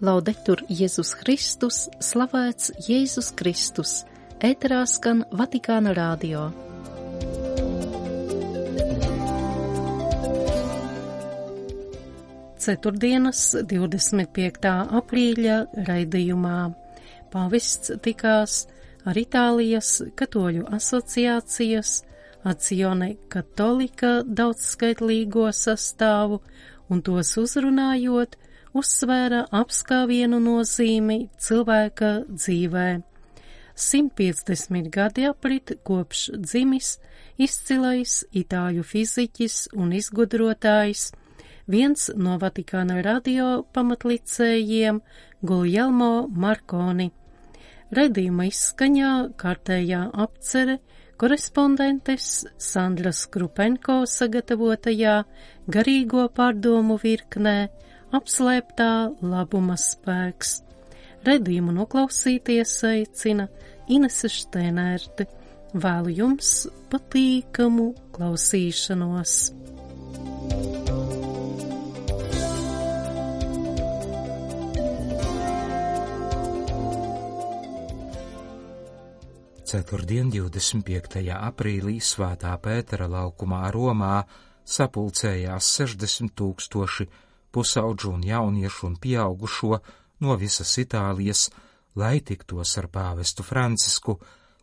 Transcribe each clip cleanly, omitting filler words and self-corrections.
Laudetur Jēzus Kristus, slavēts Jēzus Kristus, ēterā skan Vatikāna radio. Ceturtdienas 25. aprīļa raidījumā pāvests tikās ar Itālijas katoļu asociācijas Azione Cattolica daudzskaitlīgo sastāvu un tos uzrunājot, uzsvēra apskāvienu nozīmi cilvēka dzīvē. 150 gadi aprit kopš dzimis izcilais itāļu fiziķis un izgudrotājs, viens no Vatikāna radio pamatlicējiem Guglielmo Marconi. Raidījuma izskaņā kārtējā apcere korespondentes Sandras Krupenko sagatavotajā garīgo pārdomu virknē Apslēptā labuma spēks. Raidījumu noklausīties aicina Inese Štēnērte. Vēlu jums patīkamu klausīšanos. Ceturtdien 25. aprīlī Svētā Pētera laukumā Romā sapulcējās 60 000 pusaudžu un jauniešu un pieaugušo no visas Itālijas, lai tiktos ar pāvestu Francisku,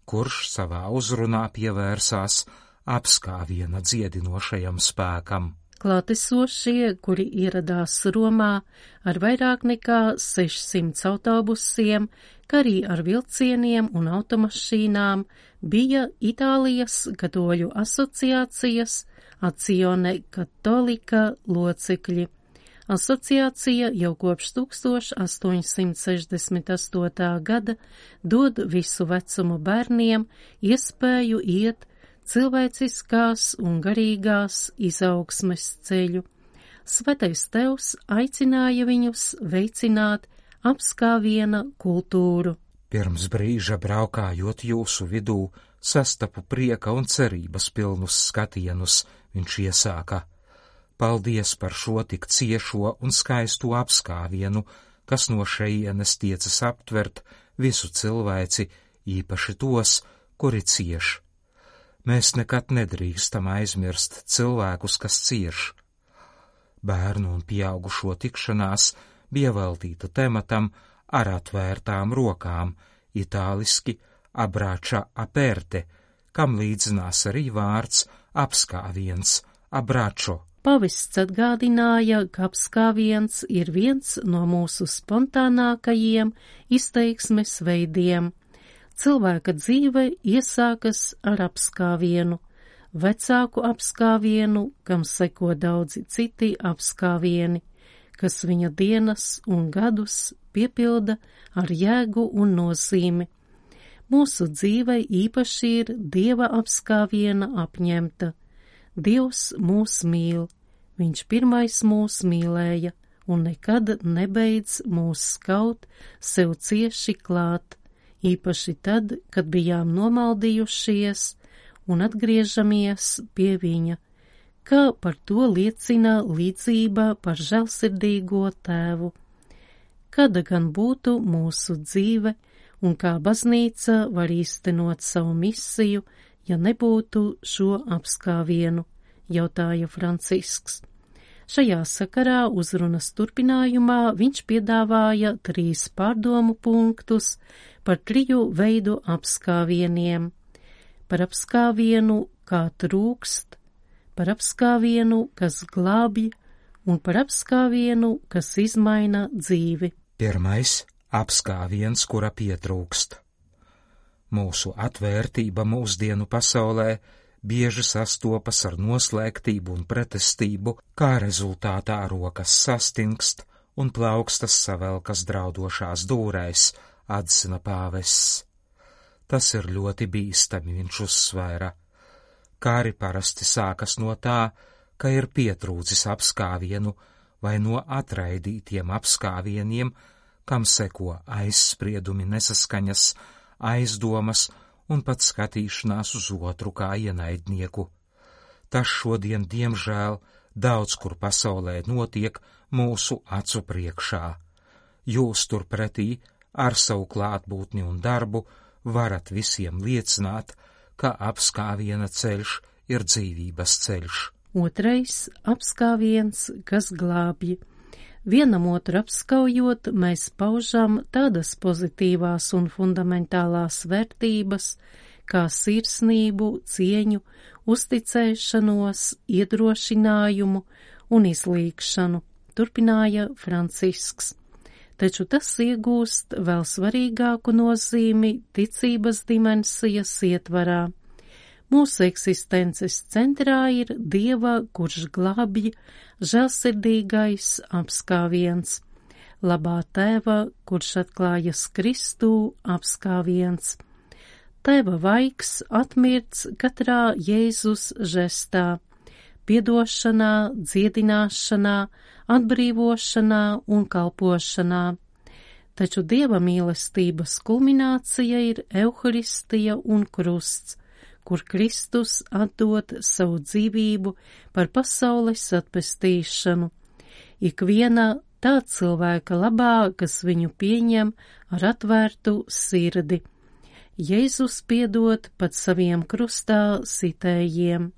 kurš savā uzrunā pievērsās apskāviena dziedinošajam spēkam. Klātesošie, kuri ieradās Romā ar vairāk nekā 600 autobusiem, kā arī ar vilcieniem un automašīnām, bija Itālijas katoļu asociācijas Azione Cattolica locekļi. Asociācija jau kopš 1868. gada dod visu vecumu bērniem iespēju iet cilvēciskās un garīgās izaugsmes ceļu. Svētais Tevs aicināja viņus veicināt apskāviena kultūru. Pirms brīža braukājot jūsu vidū, sastapu prieka un cerības pilnus skatienus, viņš iesāka. Paldies par šo tik ciešo un skaisto apskāvienu, kas no šejienes tiecas aptvert visu cilvēci, īpaši tos, kuri cieš. Mēs nekad nedrīkstam aizmirst cilvēkus, kas cieš. Bērnu un pieaugušo tikšanās bija veltīta tematam ar atvērtām rokām, itāliski abbraccia aperte, kam līdzinās arī vārds apskāviens, abbraccio. Pavests atgādināja, ka apskāviens ir viens no mūsu spontānākajiem izteiksmes veidiem. Cilvēka dzīve iesākas ar apskāvienu, vecāku apskāvienu, kam seko daudzi citi apskāvieni, kas viņa dienas un gadus piepilda ar jēgu un nozīmi. Mūsu dzīve īpaši ir Dieva apskāviena apņemta. Dievs mūs mīl, viņš pirmais mūs mīlēja un nekad nebeidz mūs skaut sev cieši klāt, īpaši tad, kad bijām nomaldījušies un atgriežamies pie viņa, kā par to liecina līdzība par žēlsirdīgo tēvu. Kāda gan būtu mūsu dzīve un kā baznīca var īstenot savu misiju, ja nebūtu šo apskāvienu, jautāja Francisks. Šajā sakarā uzrunas turpinājumā viņš piedāvāja 3 pārdomu punktus par 3 veidu apskāvieniem. Par apskāvienu, kā trūkst, par apskāvienu, kas glābj, un par apskāvienu, kas izmaina dzīvi. Pirmais – apskāviens, kura pietrūkst. Mūsu atvērtība mūsdienu pasaulē bieži sastopas ar noslēgtību un pretestību, kā rezultātā rokas sastingst un plaukstas savelkas draudošās dūrēs, atzina pāvests. Tas ir ļoti bīstami, viņš uzsvēra. Kāri parasti sākas no tā, ka ir pietrūcis apskāvienu vai no atraidītiem apskāvieniem, kam seko aizspriedumi, nesaskaņas, aizdomas un pat skatīšanās uz otru kā ienaidnieku. Tas šodien, diemžēl, daudz kur pasaulē notiek mūsu acu priekšā. jūs turpretī ar savu klātbūtni un darbu varat visiem liecināt, ka apskāviena ceļš ir dzīvības ceļš. Otrais apskāviens, kas glābj. Vienam otru apskaujot, mēs paužam tādas pozitīvās un fundamentālās vērtības, kā sirsnību, cieņu, uzticēšanos, iedrošinājumu un izlīgšanu, turpināja Francisks. Taču tas iegūst vēl svarīgāku nozīmi ticības dimensijas ietvarā. Mūsu eksistences centrā ir Dieva, kurš glābj, žēlsirdīgais apskāviens, labā Tēva, kurš atklājas Kristū, apskāviens. Tēva vaigs atmirts katrā Jēzus žestā, piedošanā, dziedināšanā, atbrīvošanā un kalpošanā. Taču Dieva mīlestības kulminācija ir Euharistija un krusts, kur Kristus atdod savu dzīvību par pasaules atpestīšanu. Ikviena tā cilvēka labā, kas viņu pieņem ar atvērtu sirdi. Jēzus piedod pat saviem krustā sitējiem.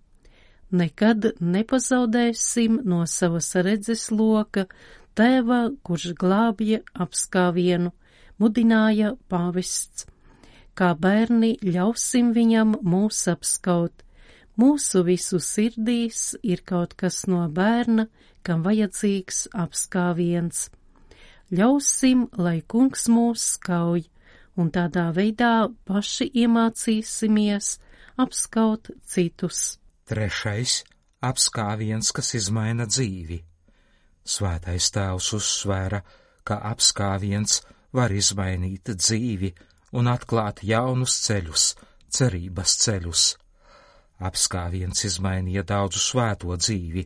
Nekad nepazaudēsim no savas redzes loka Tēva, kurš glābja apskāvienu, mudināja pāvests. Kā bērni ļausim viņam mūs apskaut. Mūsu visu sirdīs ir kaut kas no bērna, kam vajadzīgs apskāviens. Ļausim, lai kungs mūs skauj, un tādā veidā paši iemācīsimies apskaut citus. Trešais apskāviens, kas izmaina dzīvi. Svētais Tēvs uzsvēra, ka apskāviens var izmainīt dzīvi un atklāt jaunus ceļus, cerības ceļus. Apskāviens izmainīja daudzu svēto dzīvi,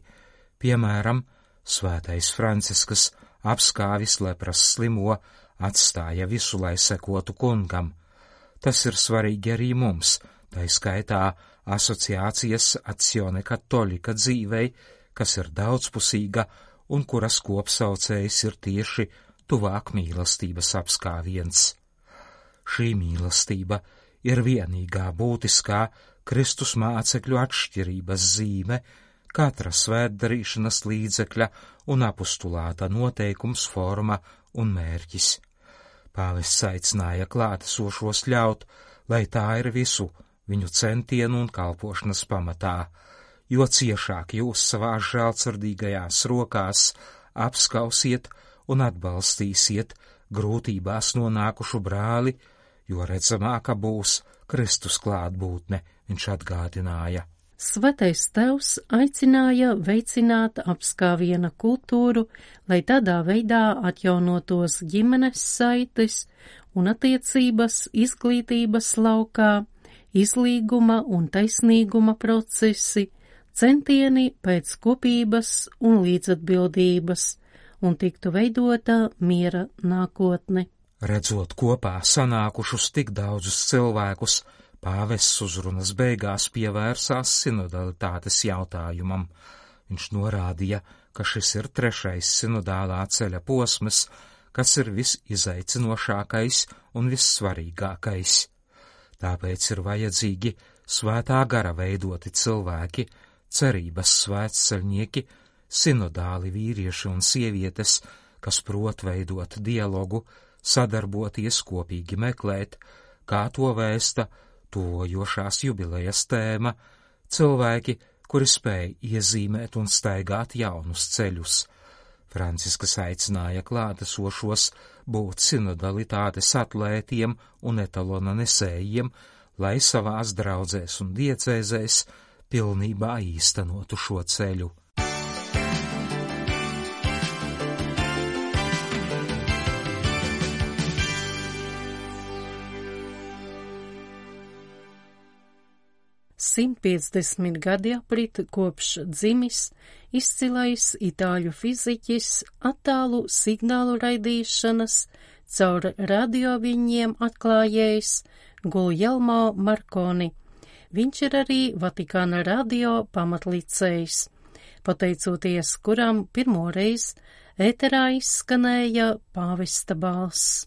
piemēram, svētais Francisks apskāvis lepras slimo, atstāja visu, lai sekotu kungam. Tas ir svarīgi arī mums, tai skaitā asociācijas Azione Cattolica dzīvei, kas ir daudzpusīga un kuras kopsaucējs ir tieši tuvāk mīlestības apskāviens. Šī mīlestība ir vienīgā būtiskā Kristus mācekļu atšķirības zīme, katra svētdarīšanas līdzekļa un apustulāta noteikums, forma un mērķis. Pāvests aicināja klātesošos ļaut, lai tā ir visu viņu centienu un kalpošanas pamatā, jo ciešāk jūs savās žēlsirdīgajās rokās apskausiet un atbalstīsiet grūtībās nonākušu brāli, jo redzamāka būs Kristus klātbūtne, viņš atgādināja. Svētais Tēvs aicināja veicināt apskāviena kultūru, lai tādā veidā atjaunotos ģimenes saites un attiecības izglītības laukā, izlīguma un taisnīguma procesi, centieni pēc kopības un līdzatbildības, un tiktu veidota miera nākotne. Redzot kopā sanākušus tik daudzus cilvēkus, pāvests uzrunas beigās pievērsās sinodalitātes jautājumam. Viņš norādīja, ka šis ir trešais sinodālā ceļa posms, kas ir visizaicinošākais un vissvarīgākais. Tāpēc ir vajadzīgi svētā gara veidoti cilvēki, cerības svētceļnieki, sinodāli vīrieši un sievietes, kas prot veidot dialogu, sadarboties, kopīgi meklēt, kā to vēsta tuvojošās jubilejas tēma, cilvēki, kuri spēj iezīmēt un staigāt jaunus ceļus. Francisks aicināja klātesošos būt sinodalitātes atlētiem un etalona nesējiem, lai savās draudzēs un diecēzēs pilnībā īstenotu šo ceļu. $150 gadi aprit kopš dzimis izcilais itāļu fiziķis attālu signālu raidīšanas caur radioviņiem atklājējs Guglielmo Marconi. Viņš ir arī Vatikāna radio pamatlicējs, pateicoties kuram pirmoreiz ēterā izskanēja pāvesta balss.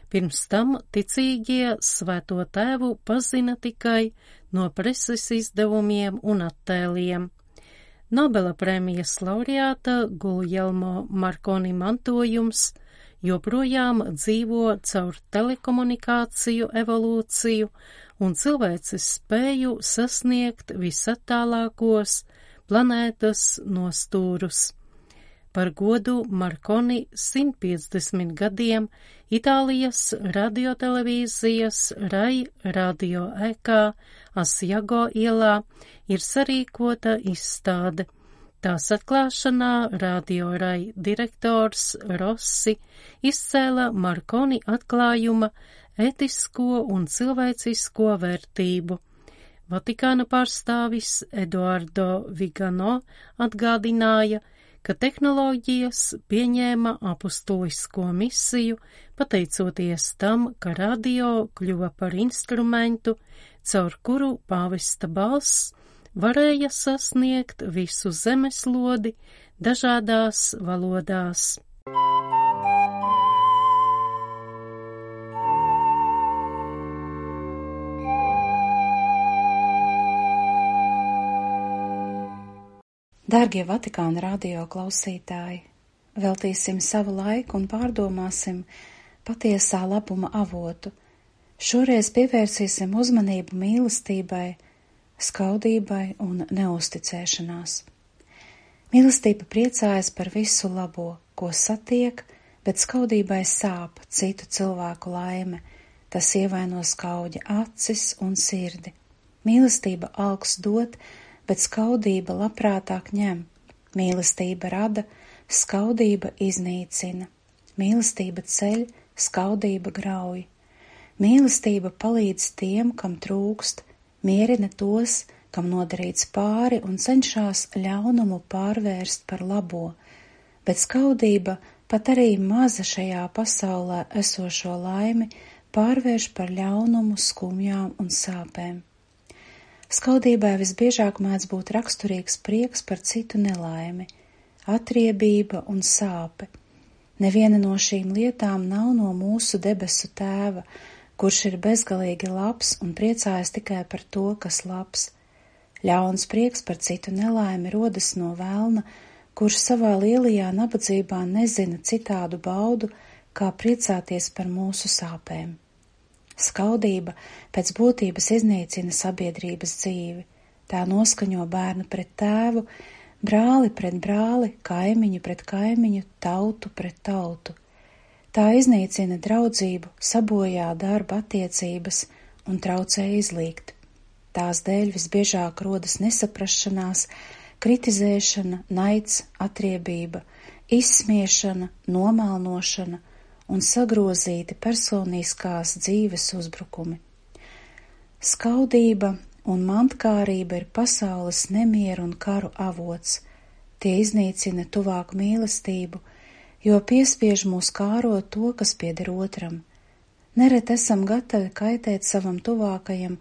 Pirms tam ticīgie Svēto Tēvu pazina tikai no preses izdevumiem un attēliem. Nobela prēmijas laureāta Guljelmo Markoni mantojums joprojām dzīvo caur telekomunikāciju evolūciju un cilvēces spēju sasniegt visattālākos planētas nostūrus. Par godu Markoni 150 gadiem Itālijas radiotelevīzijas Rai radio ēkā Asjago ielā ir sarīkota izstāde. Tās atklāšanā Radio Rai direktors Rossi izcēla Markoni atklājuma ētisko un cilvēcisko vērtību. Vatikāna pārstāvis Eduardo Vigano atgādināja, ka tehnoloģijas pieņēma apustulisko misiju, pateicoties tam, ka radio kļuva par instrumentu, caur kuru pāvesta balss varēja sasniegt visu zemeslodi dažādās valodās. Dārgie Vatikāna radio klausītāji, veltīsim savu laiku un pārdomāsim patiesā labuma avotu. Šoreiz pievērsīsim uzmanību mīlestībai, skaudībai un neusticēšanās. Mīlestība priecājas par visu labo, ko satiek, bet skaudībai sāp citu cilvēku laime. Tas ievaino skauģa acis un sirdi. Mīlestība alkst dot, bet skaudība labprātāk ņem. Mīlestība rada, skaudība iznīcina. Mīlestība ceļ, skaudība grauj. Mīlestība palīdz tiem, kam trūkst, mierina tos, kam nodarīts pāri un cenšas ļaunumu pārvērst par labo, bet skaudība pat arī maza šajā pasaulē esošo laimi pārvērš par ļaunumu, skumjām un sāpēm. Skaudībai visbiežāk mēdz būt raksturīgs prieks par citu nelaimi, atriebība un sāpe. Neviena no šīm lietām nav no mūsu debesu Tēva, kurš ir bezgalīgi labs un priecājas tikai par to, kas labs. Ļauns prieks par citu nelaimi rodas no velna, kurš savā lielajā nabadzībā nezina citādu baudu, kā priecāties par mūsu sāpēm. Skaudība pēc būtības iznīcina sabiedrības dzīvi. Tā noskaņo bērnu pret tēvu, brāli pret brāli, kaimiņu pret kaimiņu, tautu pret tautu. Tā iznīcina draudzību, sabojā darba attiecības un traucē izlīgt. Tās dēļ visbiežāk rodas nesaprašanās, kritizēšana, naids, atriebība, izsmiešana, nomēlnošana un sagrozīti personiskās dzīves uzbrukumi. Skaudība un mantkārība ir pasaules nemieru un karu avots. Tie iznīcina tuvāku mīlestību, jo piespiež mūs kārot to, kas pieder otram. Nereti esam gatavi kaitēt savam tuvākajam,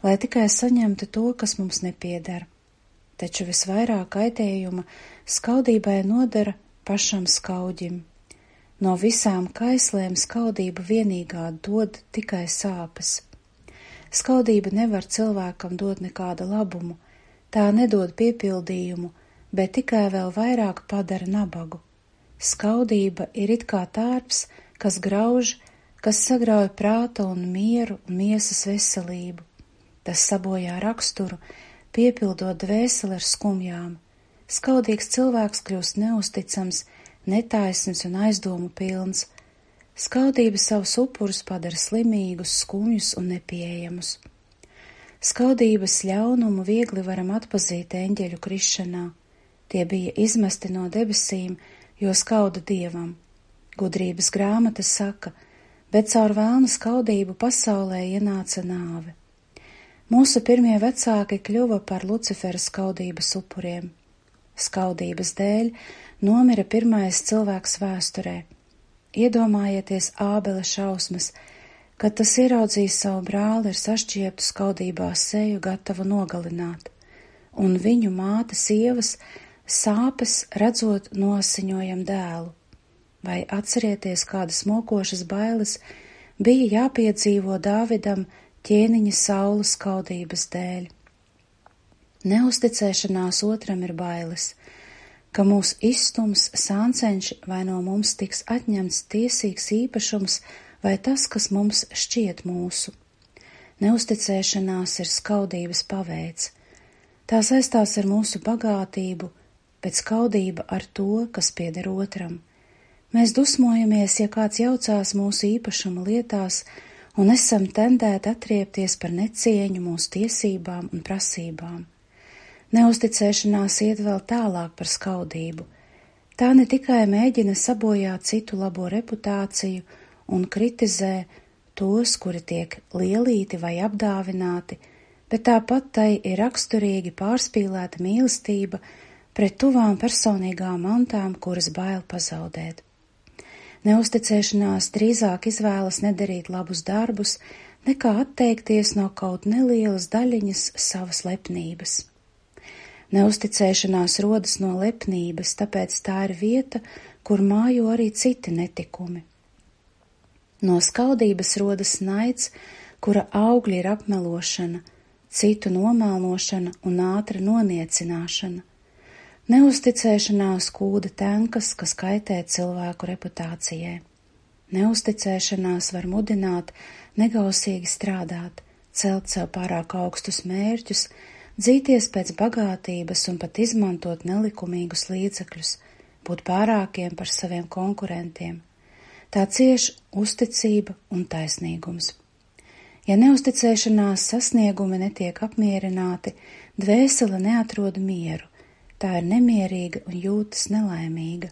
lai tikai saņemtu to, kas mums nepieder. Taču visvairāk kaitējuma skaudībai nodara pašam skauģim. No visām kaislēm skaudība vienīgā dod tikai sāpes. Skaudība nevar cilvēkam dot nekādu labumu, tā nedod piepildījumu, bet tikai vēl vairāk padara nabagu. Skaudība ir it kā tārps, kas grauž, kas sagrauj prāta un mieru un miesas veselību. Tas sabojā raksturu, piepildot dvēseli ar skumjām. Skaudīgs cilvēks kļūst neusticams, netaisns un aizdomu pilns. Skaudība savus upurus padara slimīgus, skumjus un nepieejamus. Skaudības ļaunumu viegli varam atpazīt eņģeļu krišanā. Tie bija izmesti no debesīm, jo skauda Dievam. Gudrības grāmata saka, bet caur vēlna skaudību pasaulē ienāca nāve. Mūsu pirmie vecāki kļuva par Lucifera skaudības upuriem. Skaudības dēļ nomira pirmais cilvēks vēsturē. Iedomājieties Ābela šausmas, kad tas ieraudzīja savu brāli ar sašķieptu skaudībā seju gatavu nogalināt, un viņu mātes Ievas sāpes redzot noasiņojam dēlu, vai atcerieties, kādas mokošas bailes bija jāpiedzīvo Dāvidam ķēniņa Saula skaudības dēļ. Neusticēšanās otram ir bailes, ka mūs izstums sāncenši vai no mums tiks atņemts tiesīgs īpašums vai tas, kas mums šķiet mūsu. Neusticēšanās ir skaudības paveids. Tā saistās ar mūsu bagātību, bet skaudība ar to, kas pieder otram. Mēs dusmojamies, ja kāds jaucās mūsu īpašuma lietās un esam tendēti atriepties par necieņu mūsu tiesībām un prasībām. Neusticēšanās iet vēl tālāk par skaudību. Tā ne tikai mēģina sabojāt citu labo reputāciju un kritizē tos, kuri tiek lielīti vai apdāvināti, bet tāpat tai ir raksturīgi pārspīlēta mīlestība pret tuvām personīgām mantām, kuras bail pazaudēt. Neusticēšanās drīzāk izvēlas nedarīt labus darbus, nekā atteikties no kaut nelielas daļiņas savas lepnības. Neusticēšanās rodas no lepnības, tāpēc tā ir vieta, kur mājo arī citi netikumi. No skaudības rodas naids, kura augļi ir apmelošana, citu nomēlnošana un ātra noniecināšana. Neusticēšanās kūda tenkas, kas kaitē cilvēku reputācijai. Neusticēšanās var mudināt negausīgi strādāt, celt sev pārāk augstus mērķus, dzīties pēc bagātības un pat izmantot nelikumīgus līdzekļus, būt pārākiem par saviem konkurentiem. Tā cieš uzticība un taisnīgums. Ja neusticēšanās sasniegumi netiek apmierināti, dvēsele neatrod mieru, tā ir nemierīga un jūtas nelaimīga.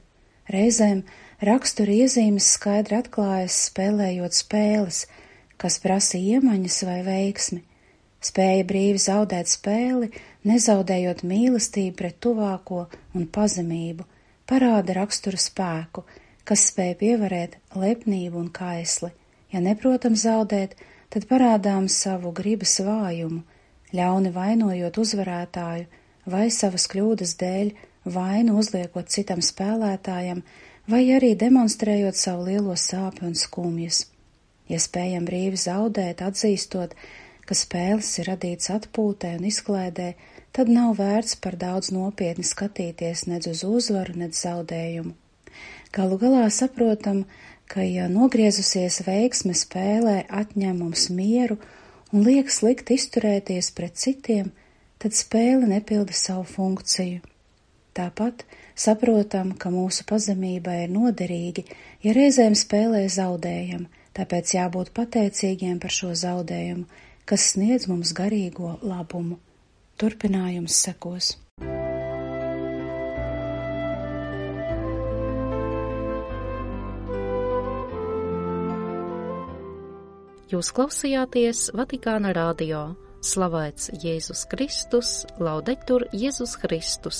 Reizēm rakstura iezīmes skaidri atklājas spēlējot spēles, kas prasa iemaņas vai veiksmi. Spēja brīvi zaudēt spēli, nezaudējot mīlestību pret tuvāko un pazemību, parāda rakstura spēku, kas spēj pievarēt lepnību un kaisli. Ja neprotam zaudēt, tad parādām savu gribas vājumu, ļauni vainojot uzvarētāju vai savas kļūdas dēļ vainu uzliekot citam spēlētājam, vai arī demonstrējot savu lielo sāpju un skumjas. Ja spējam brīvi zaudēt, atzīstot, ka spēles ir radīts atpūtē un izklaidē, tad nav vērts par daudz nopietni skatīties nedz uz uzvaru, nedz zaudējumu. Galu galā saprotam, ka ja nogriezusies veiksme spēlē atņem mums mieru un liek slikt izturēties pret citiem, tad spēle nepilda savu funkciju. Tāpat saprotam, ka mūsu pazemībai ir noderīgi, ja reizēm spēlē zaudējam, tāpēc jābūt pateicīgiem par šo zaudējumu, kas sniedz mums garīgo labumu. Turpinājums sekos. Jūs klausījāties Vatikāna radio. Slavēts Jēzus Kristus, laudetur Jēzus Kristus.